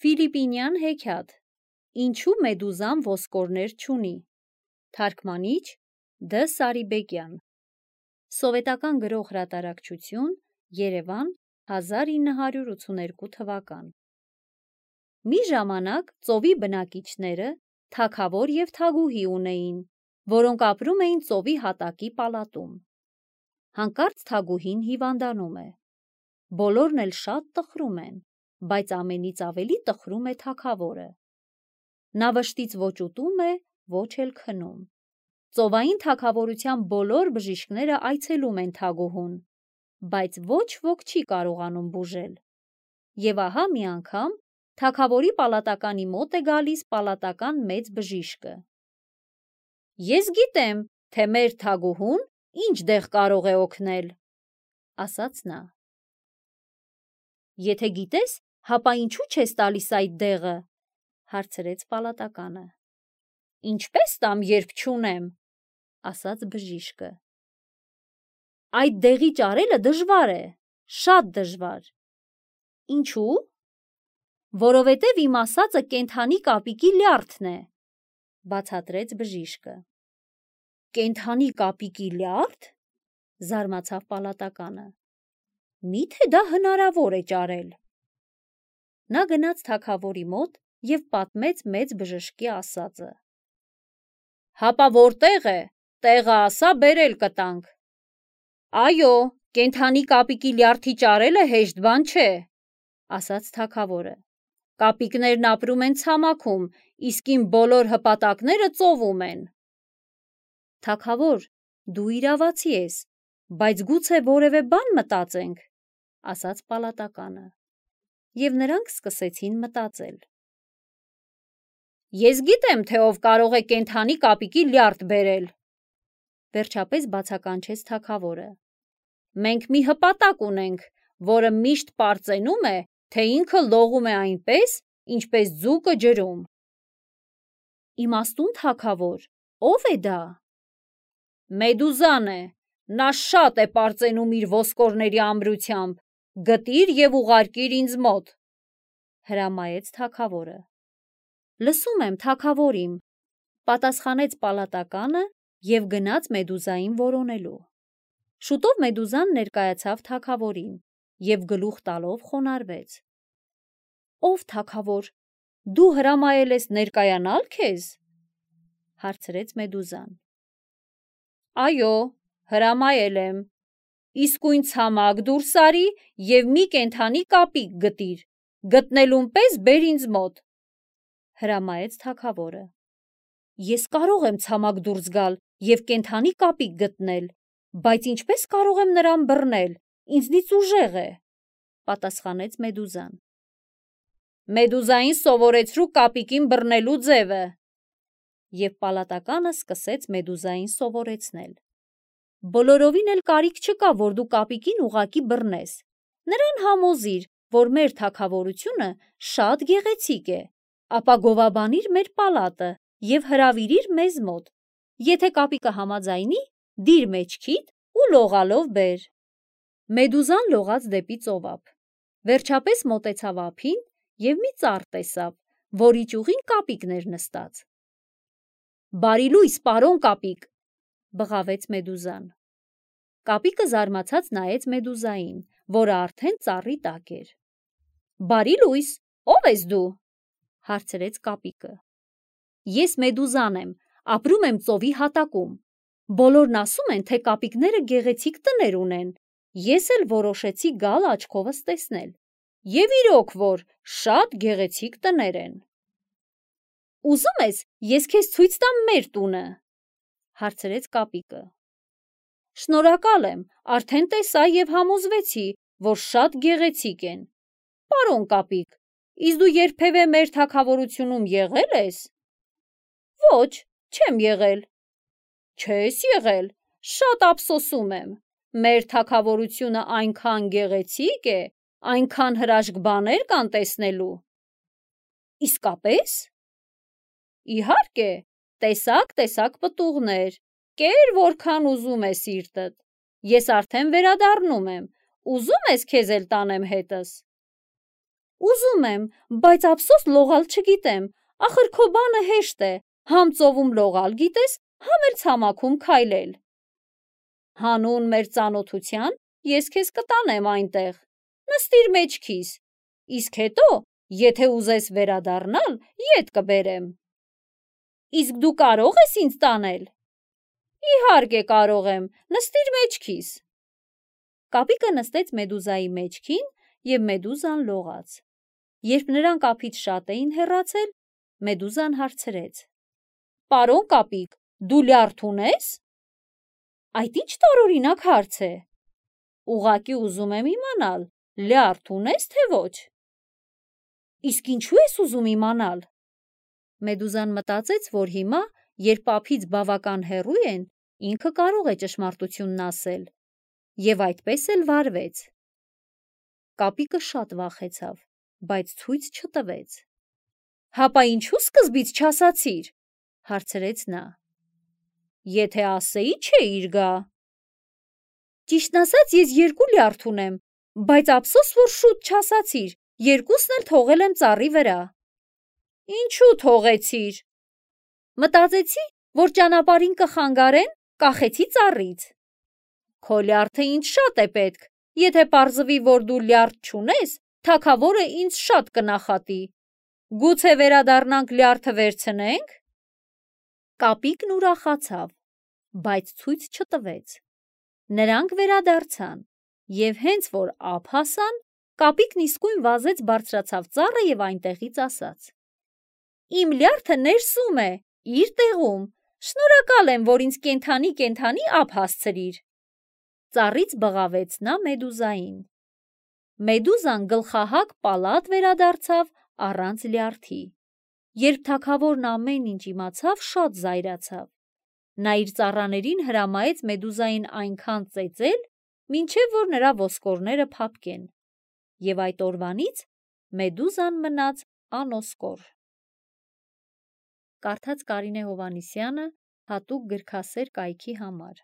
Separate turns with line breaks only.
Ֆիլիպինյան հեքիաթ, ինչու մեդուզան ոսկորներ չունի, թարգմանիչ Դ. Սարիբեկյան, Սովետական գրող հրատարակչություն, Երևան, 1982 թվական։ Մի ժամանակ ծովի բնակիչները թագավոր և թագուհի ունեին, որոնք ապրում էին ծովի հատակի պալատում։ Հանկարծ թագուհին հիվանդանում է։ Բոլորն էլ շատ տխրում են, բայց ամենից ավելի տխրում է թագավորը։ Նա վշտից ոչ ուտում է, ոչ էլ քնում։ Ծովային թագավորության բոլոր բժիշկները այցելում են թագուհուն, բայց ոչ ոք չի կարողանում բուժել։ Եվ ահա մի անգամ թագավորի պալատականի մոտ է գալիս պալատական մեծ բժիշկը։ «Ես գիտեմ, թե մեր թագուհուն ինչ դեղ կարող է օգնել», ասաց նա։ «Եթե գիտես, հապա ինչու չես տալիս այդ դեղը», հարցրեց պալատականը։ «Ինչպես տամ, երբ չունեմ», ասաց բժիշկը։ «Այդ դեղի ճարելը դժվար է, շատ դժվար»։ «Ինչու»։ «Որովհետև իմ ասածը կենդանի կապիկի լյարդն է», բացատրեց բժիշկը։ «Կենդանի կապիկի լյարդ», զարմացավ պալատականը։ «Մի՞թե դա հնարավոր է ճարել»։ Նա գնաց թագավորի մոտ և պատմեց մեծ բժշկի ասածը։ «Հապա որտեղ է, տեղը ասա, բերել կտանք»։ «Այո, կենդանի կապիկի լյարդի ճարելը հեշտ բան չէ», ասաց թագավորը։ «Կապիկներն ապրում են ցամաքում, իսկ իմ բոլոր հպատակները ծովում են»։ «Թագավոր, դու իրավացի ես, բայց գուցե որևէ բան մտածենք», ասաց պալատականը։ Եվ նրանք սկսեցին մտածել։ «Ես գիտեմ, թե ով կարող է կենդանի կապիկի լյարդ բերել», վերջապես բացականչեց թագավորը։ «Մենք մի հպատակ ունենք, որը միշտ պարծենում է, թե ինքը լողում է այնպես, ինչպես ձուկը ջրում»։ «Իմաստուն թագավոր, ո՞վ է դա»։ «Մեդուզան է, նա շատ է պարծենում իր ոսկորների ամրությամբ, գտիր և ուղարկիր ինձ մոտ», հրամայեց թագավորը։ «Լսում եմ, թագավոր իմ», պատասխանեց պալատականը և գնաց մեդուզային որոնելու։ Շուտով մեդուզան ներկայացավ թագավորին և գլուխ տալով խոնարհվեց։ «Ով թագավոր, դու հրամայել ես ներկայանալ քեզ», հարցրեց մեդուզան։ «Այո, հրամայել եմ։ Իսկույն ցամաք դուրս արի և մի կենդանի կապիկ գտիր, գտնելուն պես բեր ինձ մոտ», հրամայեց թագավորը։ «Ես կարող եմ ցամաք դուրս գալ և կենդանի կապիկ գտնել, բայց ինչպես կարող եմ նրան բռնել, ինձնից ուժեղ է», պատասխանեց մեդուզան։ «Մեդուզային սովորեցրու կապիկին բռնելու ձևը», և պալատականը սկսեց մեդուզային սովորեցնել։ «Բոլորովին էլ կարիք չկա, որ դու կապիկին ուղղակի բռնես։ Նրան համոզիր, որ մեր թագավորությունը շատ գեղեցիկ է, ապա գովաբանիր մեր պալատը և հրավիրիր մեզ մոտ։ Եթե կապիկը համաձայնի, դիր մեջքիդ ու լողալով բեր»։ Մեդուզան լողաց դեպի ծովափ, վերջապես մոտեցավ ափին և մի ծառ տեսավ, որի ճյուղին կապիկն էր նստած։ «Բարի լույս, պարոն կապիկ», բղավեց մեդուզան։ Կապիկը զարմացած նայեց մեդուզային, որը արդեն ծառի տակ էր։ «Բարի լույս, ո՞վ ես դու», հարցրեց կապիկը։ «Ես մեդուզան եմ, ապրում եմ ծովի հատակում։ Բոլորն ասում են, թե կապիկները գեղեցիկ տներ ունեն։ Ես էլ որոշեցի գալ աչքովս տեսնել։ Եվ իրոք որ շատ գեղեցիկ տներ են»։ «Ուզում ես, ես քեզ ցույց տամ մեր տունը», հարցրեց կապիկը։ «Շնորհակալ եմ, արդեն տեսա և համոզվեցի, որ շատ գեղեցիկ են։ Պարոն կապիկ, իսկ դու երբևէ մեր թագավորությունում եղել ես»։ «Ոչ, չեմ եղել»։ «Չես եղել, շատ ափսոսում եմ։ Մեր թագավորությունը այնքան գեղեցիկ է, այնքան հրաշք բաներ կան տեսնելու»։ «Իսկապե՞ս»։ «Իհարկե, տեսակ պտուղներ, կեր որքան ուզում է սիրտդ։ Ես արդեն վերադառնում եմ, ուզում ես քեզ էլ տանեմ հետս»։ Ուզում եմ, բայց ափսոս լողալ չգիտեմ, ախր քո բանը հեշտ է, համ ծովում լողալ գիտես, համ էլ ցամաքում քայլել։ Հանուն մեր ծանոթության ես քեզ կտանեմ այնտեղ, նստիր մեջքիս, իսկ հետո, եթե ուզես վերադառնալ, ետ կբերեմ։ Իսկ դու կարող ես ինձ տանել։ Իհարկե կարող եմ, նստիր մեջքիս։ Կապիկը նստեց Մեդուզայի մեջքին և Մեդուզան լողաց։ Երբ նրանք ափից շատ էին հեռացել, Մեդուզան հարցրեց. Պարոն Կապիկ, դու լյարդ ունե՞ս։ Այդ ինչ տարօրինակ հարց է։ Ուղղակի ուզում եմ իմանալ, լյարդ ունե՞ս, թե ոչ։ Իսկ ինչու ես ուզում իմանալ։ Մեդուզան մտածեց, որ հիմա, երբ ափից բավական հեռու են, ինքը կարող է ճշմարտությունն ասել, և այդպես էլ վարվեց։ Կապիկը շատ վախեցավ, բայց ցույց չտվեց։ Հապա ինչու սկզբից չասացիր, հարցրեց նա։ Եթե ասեի, չէիր գա։ Ճիշտն ասած, ես երկու լյարդ ունեմ, բայց ափսոս, որ շուտ չասացիր, երկուսն էլ թողել եմ ծառի վրա։ Ինչու թողեցիր։ Մտածեցի, որ ճանապարհին կխանգարեն, կախեցի ծառից։ Քո լյարդը ինձ շատ է պետք, եթե պարզվի, որ դու լյարդ չունես, թագավորը ինձ շատ կնախատի։ Գուցե վերադառնանք լյարդը վերցնենք։ Կապիկն ուրախացավ, բայց ցույց չտվեց։ Նրանք վերադարձան, և հենց որ ափ հասան, Կապիկն իսկույն վազեց բարձրացավ ծառը և այնտեղից ասաց. Իմ լյարդը ներսում է, իր տեղում, շնորհակալ եմ, որ ինձ կենդանի ափ հասցրիր։ Ծառից բղավեց նա Մեդուզային։ Մեդուզան գլխահակ պալատ վերադարձավ առանց լյարդի։ Երբ թագավորն ամեն ինչ իմացավ, շատ զայրացավ։ Նա իր ծառաներին հրամայեց Մեդուզային այնքան ծեծել, մինչև որ նրա ոսկորները փափկեն, և այդ օրվանից Մեդուզան մնաց անոսկոր։ Կարդաց Կարինե Հովհաննիսյանը հատուկ գրքասեր կայքի համար։